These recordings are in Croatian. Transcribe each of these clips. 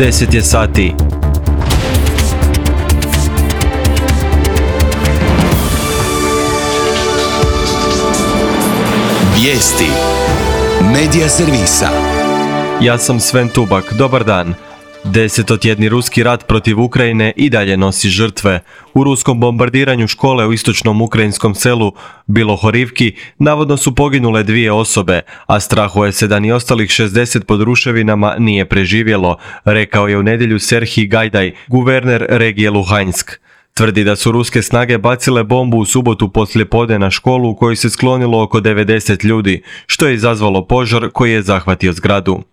10 je sati. Vijesti Medija servisa. Ja sam Sven Tubak, dobar dan. Desetotjedni ruski rat protiv Ukrajine i dalje nosi žrtve. U ruskom bombardiranju škole u istočnom ukrajinskom selu Bilohorivki navodno su poginule 2 osobe, a strahuje se da ni ostalih 60 pod ruševinama nije preživjelo, rekao je u nedjelju Serhij Gajdaj, guverner regije Luhansk. Tvrdi da su ruske snage bacile bombu u subotu poslijepodne na školu u kojoj se sklonilo oko 90 ljudi, što je izazvalo požar koji je zahvatio zgradu.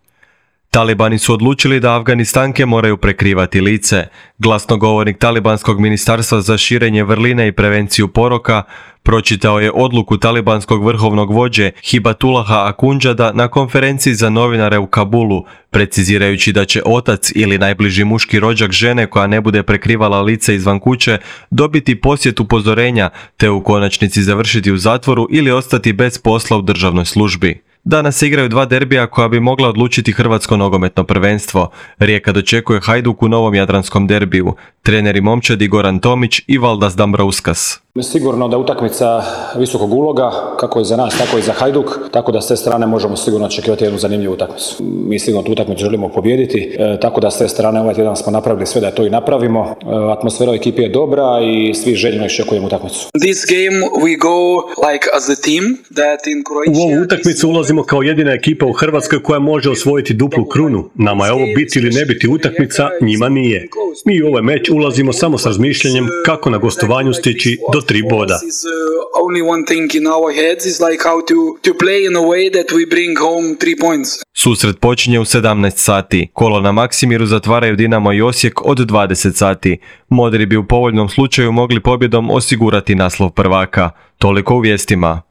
Talibani su odlučili da Afganistanke moraju prekrivati lice. Glasnogovornik Talibanskog ministarstva za širenje vrline i prevenciju poroka pročitao je odluku talibanskog vrhovnog vođe Hibatullaha Akhundžada na konferenciji za novinare u Kabulu, precizirajući da će otac ili najbliži muški rođak žene koja ne bude prekrivala lice izvan kuće dobiti posjet upozorenja te u konačnici završiti u zatvoru ili ostati bez posla u državnoj službi. Danas se igraju 2 derbija koja bi mogla odlučiti hrvatsko nogometno prvenstvo. Rijeka dočekuje Hajduk u novom jadranskom derbiju. Treneri momčadi Goran Tomić i Valdas Dambrauskas. Sigurno da utakmica visokog uloga, kako je za nas, tako i za Hajduk, tako da s te strane možemo sigurno očekivati jednu zanimljivu utakmicu. Mi sigurno tu utakmicu želimo pobijediti, tako da s te strane ovaj tjedan smo napravili sve da to i napravimo. Atmosfera u ekipi je dobra i svi željno iščekujemo utakmicu. U ovu utakmicu ulazimo kao jedina ekipa u Hrvatskoj koja može osvojiti duplu krunu. Nama je ovo biti ili ne biti utakmica, njima nije. Mi u ovaj meč ulazimo samo s razmišljanjem kako na gostovanju stići do 3 boda. Susret počinje u 17 sati. Kolo na Maksimiru zatvaraju Dinamo i Osijek od 20 sati. Modri bi u povoljnom slučaju mogli pobjedom osigurati naslov prvaka. Toliko u vijestima.